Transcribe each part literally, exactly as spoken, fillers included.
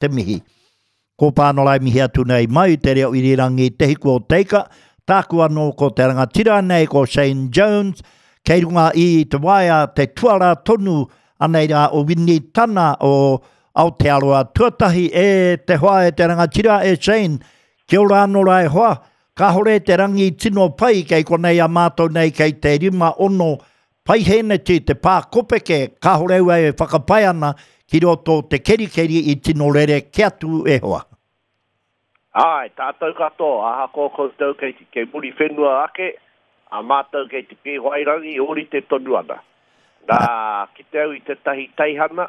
te mihi. Ko Pānora e mihi atu nei mai te reo irirangi Te Hiku o Teika, tāku anō ko te rangatira nei ko Shane Jones, kei runga i te waea te tuara tonu anei rā o Winitana o Aotearoa Tuatahi e te hoa e te rangatira e Shane. Kia ora anō rā e hoa, kāhore te rangi tino pai kei konei a mātou nei kei te rima ono paiheneti te pā kopeke, kāhore ua e whakapae ana ki roto te kerikeri i tino rere ke atu e hoa. Ai, tātou katoa, ahakoa koutou kei, kei muri whenua ake, a mātou kei te Pīwhairangi, ōrite tonu ana. Nā, ki te au i tētahi teihana,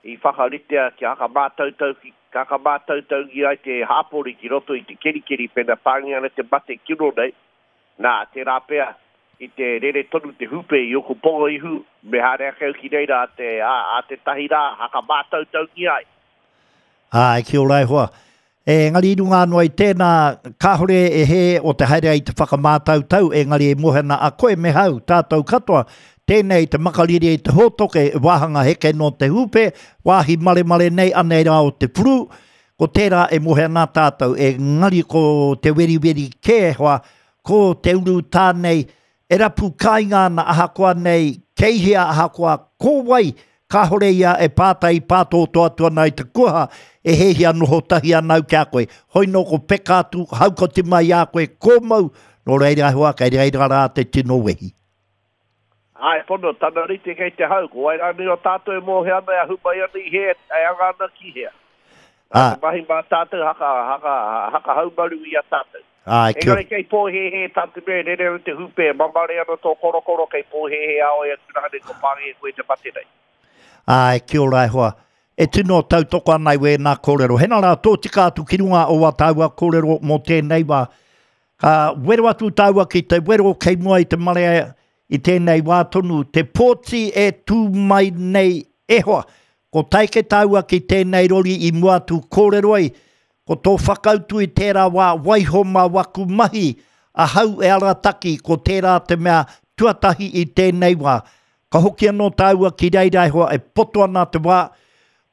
i whakaritea kia hakamātautau ki hakamātautau ai te hāpori ki roto i te kerikeri pena pāngia ana te mate kino nei. Nā, tērā pea i te rere tonu te hupe i oku ponga ihu, me haere ake au ki reira a te, a, a te tahi rā, hakamātautau ai. Ai, kia ora e hoa. Engari i runga anō i tēnā, kāhore e he o te haere i te whakamātautau, engari e mohena a koe me hau, tātou katoa, tēnei te makariri i te hōtoke, wāhanga heke no te hupe, wāhi maremare nei anei rā o te puru, ko tērā e mohena tātou, engari ko te weriweri kē hoa, ko te uru tā nei, e rapu kāinga ana ahakoa nei, kei hea ahakoa ko wai, kāhore ia e pātai pātōtō atu ana i te kuaha, e hehia noho tahi ana au ki a koe. Hoi nō ko peka atu, haukoti mai a koe, kōmau, nō reira hoa, kei reira rā te tino wehi. Ai, pono, tana rite kei te hau, ko wai rānei o tātou e mōhe ana, e ahu mai ana i hea, e anga ana ki hea. Nā, te mahi mā tātou, haka, haka, haka haumaru i a tātou. Ai, kia... Engari kei pōhēhē tā te mea, rere ana te hupe, mamare ana tō korokoro, kei pōhēhē ao e atu rānei ko pāngia koe te mate nei. Ai, kia ora e hoa. E tino tautoko ana i wēnā kōrero. Hena rā, tō tika atu ki runga o wā tāua kōrero mō tēnei wā. Ka wero atu tāua ki te wero kei mua i te marea i tēnei wā tonu. Te pōti e tū mai nei e hoa. Ko taike tāua ki tēnei rori i mua atu kōrero ai. Ko tō whakautu i tērā wā waiho mā waku mahi. Ahau e arataki ko tērā te mea tuatahi i tēnei wā. Ka hoki anō tāua ki reira e hoa e poto ana te wā.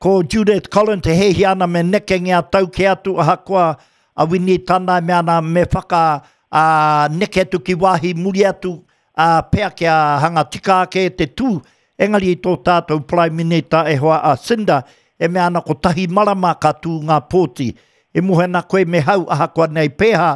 Ko Judith Collins te hehi ana me nekenge a tau ke atu ahakoa a Winitana e mea ana me whaka a, neke atu ki wāhi muri atu a, pea kia hanga tika ake te tū. Engari i tō tātou Prime Minister e hoa a Cinda e mea ana kotahi marama ka tū ngā pōti. E mohena koe me hau ahakoa nei pēhā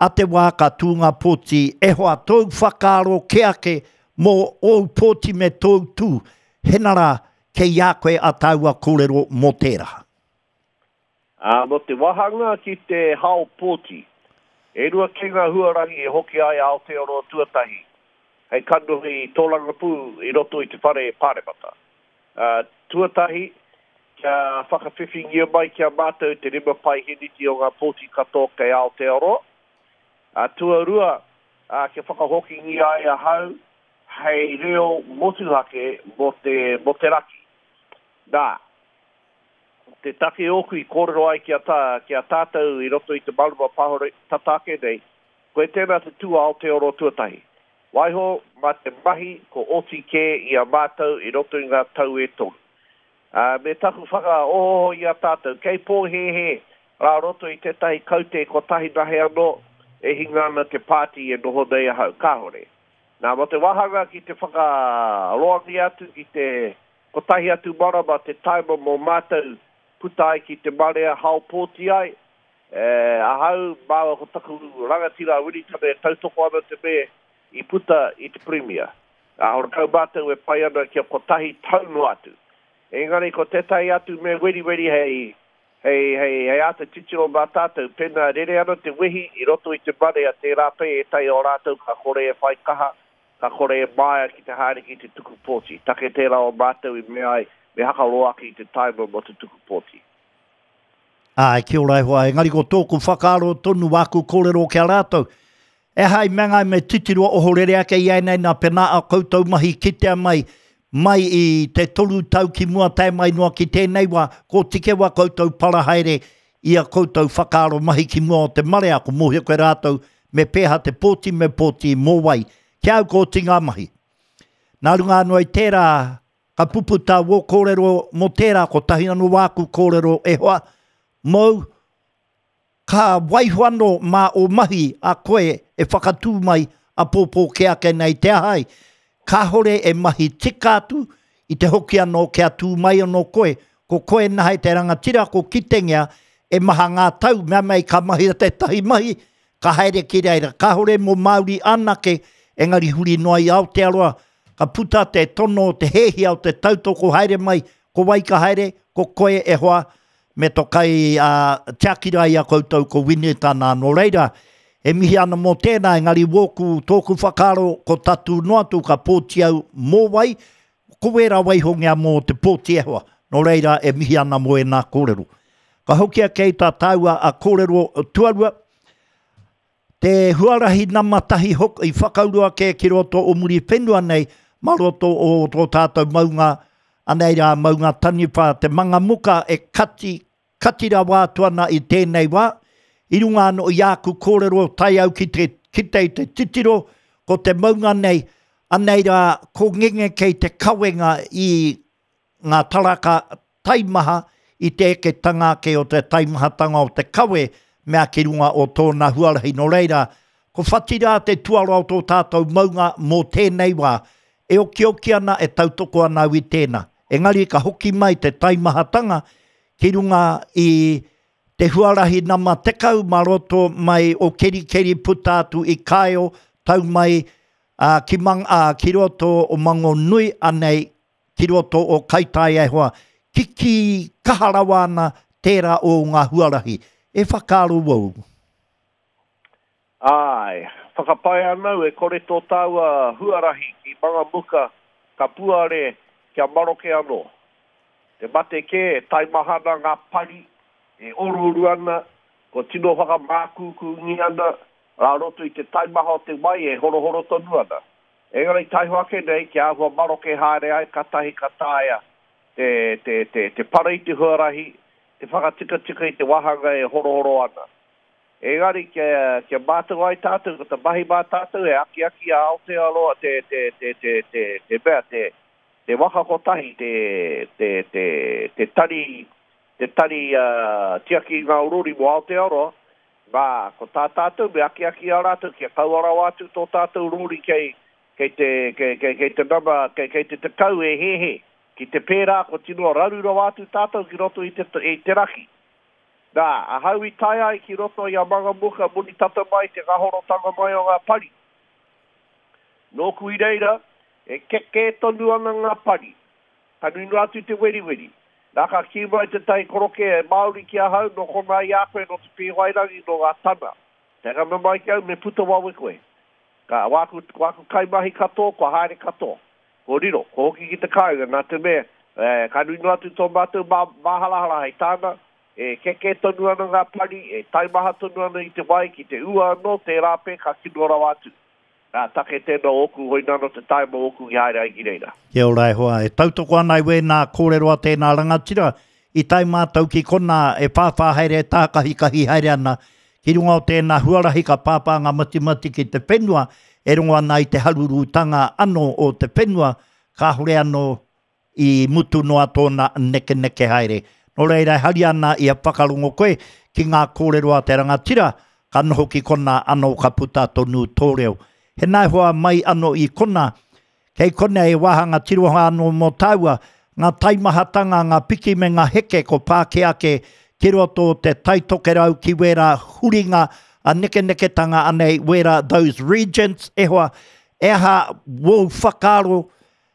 a te wā ka tū ngā pōti e hoa tōu whakaaro ke ake mō ōu pōti me tōu tū. Hena rā, kei a koe a tāua kōrero mō tērā. Ā, mō te wāhanga ki te hao pōti, e rua kē ngā huarahi e hoki ai Aotearoa Tuatahi, hei kanohi i tōrangapū i roto i te whare pāremata. Ā, tuatahi, kia whakawhiwhingia mai ki a mātou te rima paiheniti o ngā pōti katoa kei Aotearoa. Ā, tuarua, ā, kia whakahokingia ai ahau hei reo motuhake mō te, mō te raki. Nā, te take ōku i kōrero ai ki a, tā, ki a tātou i roto i te marama pahore tata ake nei, koe tēnā te tū Aotearoa Tuatahi. Waiho mā te mahi ko oti kē i a mātou i roto i ngā tau e toru. Ā, me taku whakaohooho i a tātou, kei pōhēhē rā roto i tētahi kaute kotahi nahe anō e hinga ana te pāti e noho nei ahau, kāhore. Nā, mō te wāhanga ki te whakaroangia atu ki te kotahi atu marama te taima mō mātou puta ai ki te marea hao pōti ai, e, ahau māua ko taku rangatira a Winitana e tautoko ana te me i puta i te Premier. Ā, horakau mātou e pai ana kia kotahi tau noa atu. Engari ko tētahi atu me weriweri hei, hei, hei, hei āta titiro mā tātou, pēnā rere ana te wehi i roto i te marea, tērā pea ētahi o rātou ka kore e whai kaha, ka kore e māia ki te haere ki te tuku pōti. Take tērā o mātou i mea ai, me hakaroa ake i te taima mō te tuku pōti. Ai, kia ora e hoa, engari ko tōku whakaaro tonu wāku kōrero ki a rātou. E hai mea ngai me titiro ohorere ake i ai nei nā pēnā a koutou mahi kitea mai, mai i te toru tau ki mua tae mai noa ki tēnei wā, ko tike wā koutou para haere i a koutou whakaaro mahi ki mua o te marea, ko mōhio koe rātou me pēhā te pōti me pōti mō wai. Kia au ko oti ngā mahi. Nā runga anō i tērā, Ka puputa wō kōrero mō tērā, kotahi anō wāku kōrero e hoa, mōu, ka waiho anō mā o mahi a koe e whakatū mai a pōpō ke ake nei te ahai. Kāhore e mahi tika atu i te hoki anō kia tū mai anō koe. Ko koe nahe te rangatira ko kitengia e maha ngā tau, mea mei ka mahi a tētahi mahi, ka haere ki reira. Kāhore mō Māori anake, engari huri noa i Aotearoa, ka puta te tono, te hēhia o te tautoko haere mai, ko wai ka haere, ko koe e hoa, me to kai uh, tiakira i a koutou ko Winitana. Nō reira, e mihi ana mō tēnā, engari wōku tōku whakaaro ko tatu noa atu ka pōti au mō wai, ko wērā waihongia mō te pōti e hoa. Nō reira, e mihi ana mō e nā kōrero. Ka hoki ake i tā tāua a kōrero tuarua, te huarahi nama tahi hok, i whakauru ake ki roto o muri whenua nei, ma roto o tō tātou maunga, anei rā maunga taniwha, te mangamuka e kati, kati rawa atu ana i tēnei wā, i runga anō i āku kōrero tae au ki te, ki te, te titiro, ko te maunga nei, anei rā ko ngenge kei te kawenga i ngā taraka taimaha, i te eketanga ake o te taimahatanga o te kawe, mea ki runga o tōna huarahi. Nō reira, ko whatira te tuara o tō tātou maunga mō tēnei wā, e okioki ana, e tautoko ana au i tēnā. Engari ka hoki mai te taimahatanga ki runga i te huarahi nama tekau ma roto mai o Kerikeri puta atu i Kaeo, tau mai uh, ki, mang, uh, ki roto o Mangonui anei, ki roto o Kaitaia e hoa. Kiki kaha rawa ana tērā o ngā huarahi. E whakaaro wau. Ai, whakapae anau e kore tō tāua huarahi ki Mangamuka ka puare kia maroke anō. Te mate kē, e taimahana ngā pari, e oruoru ana, ko tino whakamākūkūngi ana, rā roto i te taimaha o te wai e horohoro tonu ana. Engari taiho ake nei, kia āhua maroke haere ai, katahi ka taea te, te, te, te para i te huarahi, te whakatikatika i te wahanga e horohoro ana. Engari kia, kia mātou ai tātou, ko te mahi mā tātou e akiaki a Aotearoa te, te, te, te, te, te mea, te, te waka kotahi, te, te, te, te tari, te tari uh, tiaki ngā urori mō Aotearoa, nā, ko tā tātou me akiaki a rātou, kia kaua rawa atu tō tātou rori kei, kei te, kei, kei, kei te nama, kei, kei te tekau e hehe. Ki te pērā ko tino raru rawa atu tātou ki roto i te, i te raki. Nā, ahau i tae ai ki roto i a Mangamuka muni tata mai te ngahorotanga mai o ngā pari. Nōku i reira, e keke tonu ana ngā pari. Ka nui noa atu te weriweri. Nā ka kī mai te tahi koroke e Māori ki ahau, no kona i a koe, no te Pīwairangi, no ngā tana. Te ngana mai ki au, me puta wawe koe. Ka wāku, wāku kaimahi katoa, kua haere katoa. Ko riro, ko hoki ki te kāinga, nā te mea, e, ka nui noa atu tō mātou mā, māharahara hei tāna, e keke tonu ana ngā pari, e taimaha tonu ana i te wai, ki te ua anō, tērā pē ka kino rawa atu. Nā, take tēnā ōku, hoi nano te taima ōku i haere ai ki reira. Kia ora e hoa, e tautoko ana i wēnā kōrero a tēnā rangatira, i tae mātou ki kona e whāwhā haere, tākahikahi haere ana, ki runga o tēnā huarahi ka pāpā ngā matimati ki te whenua, e rongo ana i te harurutanga anō o te whenua, kāhore anō i mutu noa tōna neke neke haere. Nō reira, e hari ana i a whakarongo koe ki ngā kōrero a te rangatira, ka noho ki kona anō ka puta tonu tō reo. He nā hoa mai anō i kona, kei kona e wāhanga tiroha anō mō tāua, ngā taimahatanga, ngā piki me ngā heke ko pāke ake ki roto te taitokerau ki wērā huringa a nekeneketanga anei wērā those regions, e hoa, e aha wō whakaaro,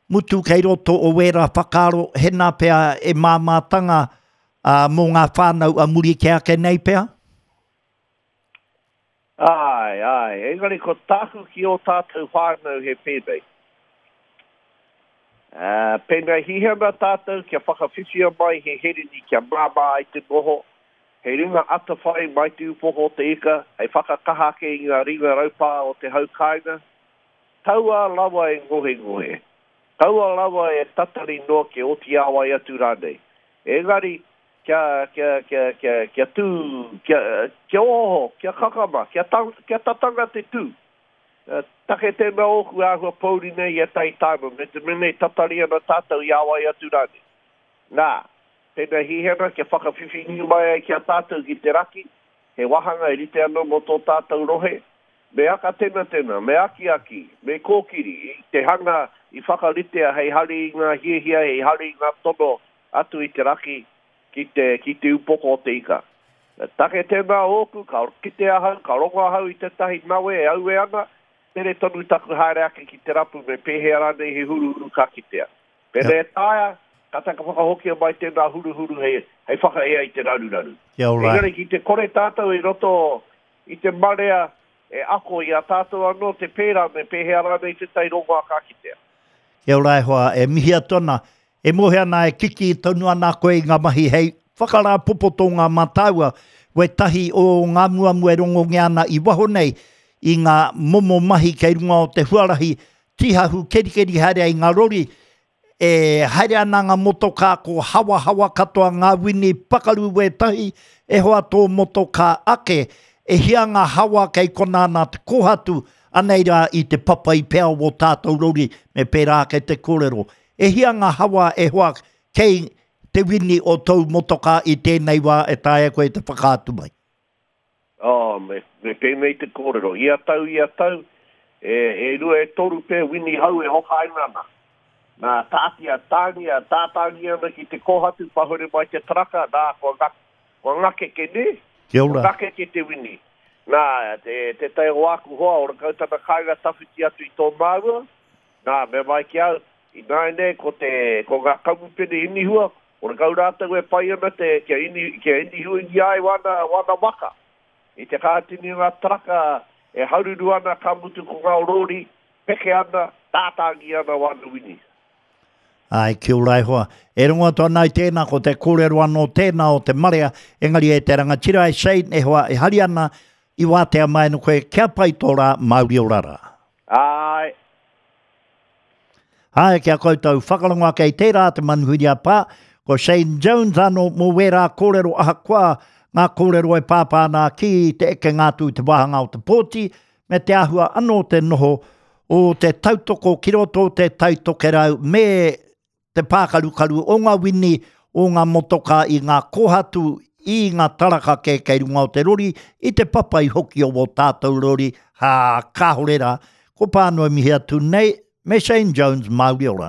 mutu kei roto o wērā whakaaro, hena pea e māmātanga uh, mō ngā whānau a muri ke ake nei pea? Ai, ai, engari ko tāku ki o tātou whānau he pēnei. Uh, pēnei hihana tātou kia whakawhiwhia mai he herini kia māmā ai te noho, he ringa atawhai mai te upoko o te ika, hei whakakaha ake i ngā ringa raupā o te hau kāinga. Taua rawa e ngohe ngohe. Taua rawa e tatari noa ke oti awai atu rānei. Engari, kia, kia, kia, kia, kia tū, kia, kia oho, kia kakama, kia, tang, kia tatanga te tū. Take tēnā ōku āhua pōuri nei i a tai tāma, me te mene tatari ana tātou i awai atu rāne. Nā, tēnā hihena kia whakawhiwhingi mai ai ki a tātou ki te raki, he wahanga e rite anō mō tō tātou rohe, me aka tēnā tēnā, me akiaki, me kōkiri, i te hanga i whakaritea hei hari i ngā hiahia, hei hari i ngā tono atu i te raki ki te, ki te upoko o te ika. Take tēnā ōku, ka kite ahau, ka rongo ahau i tētahi nawe e aue ana, tere tonu taku haere ake ki te rapu me pēhea rānei he huruhuru ka kitea. Pēnei e taea, ka taka whakahokia mai tēnā huruhuru hei, hei whakaea i te raruraru. Kia ora. Engari ki te kore tātou i roto i te marea e ako i a tātou anō te pērā me pēhea rānei tētahi rongoā ka kitea. Kia ora e hoa, e mihi atu ana, e mohe ana e kiki tonu ana koe i ngā mahi hei whakarāpopoto ngā mātāua, wētahi o ngā muamua e rongongia ana i waho nei, i ngā momo mahi kei runga o te huarahi, tīhahu kerikeri haere ai ngā rori, e haere ana ngā motokā ko hawahawa katoa ngā wini pakaru wētahi, e hoa tō motokā ake, e hia ngā hawa kei kona ana te kōhatu, anei rā i te papa i pea o tātou rori, me pērā ake te kōrero. E hia ngā hawa e hoa kei te wini o tōu motokā i tēnei wā e taea koe te whakaatu mai? Oh, me, me pēnei te kōrero. Ia tau, ia tau, e, e rua e toru pē wini hau e hokaina ana. Nā, tātia, tāngia, tātāngia ana ki te kōhatu, pahure mai te taraka, nā, kua, ngak, kua ngakeke ne? Kia ora. Kua ngakeke te wini. Nā, te, te tai o āku hoa, ora kau tana kāinga tawhiti atu i tō māua, nā, me mai ki au, i nāianei ko te, ko ngā kamupene inihua, ora kau rātou e pai ana te, kia, ini, kia inihuingia ai wana, wana waka. I te kātini ngā taraka e haruru ana ka mutu ko ngā rori, peke ana, tātāngi ana wana wini. Ai, kia ora e hoa. E rongo atu ana i tēnā, ko te kōrero anō tēnā o te marea, engari e te rangatira e Shane, e hoa, e hari ana i wātea mai no koe, kia pai tō rā, Māori ora rā. Ai. Ai, kia koutou whakarongo ake i tērā te manuhiri a pā, ko Shane Jones anō mō wērā kōrero ahakoa ngā kōrero e pāpā ana ki te ekenga atu i te wāhanga o te pōti, me te āhua anō te noho o te tautoko ki roto o te taitokerau me te pākarukaru o ngā wini o ngā motokā i ngā kōhatu i ngā taraka kē kei runga o te rori, i te papai hoki o wō tātou rori, hā, kāhore rā, ko Pānui mihi atu nei, me Shane Jones, Māori ora.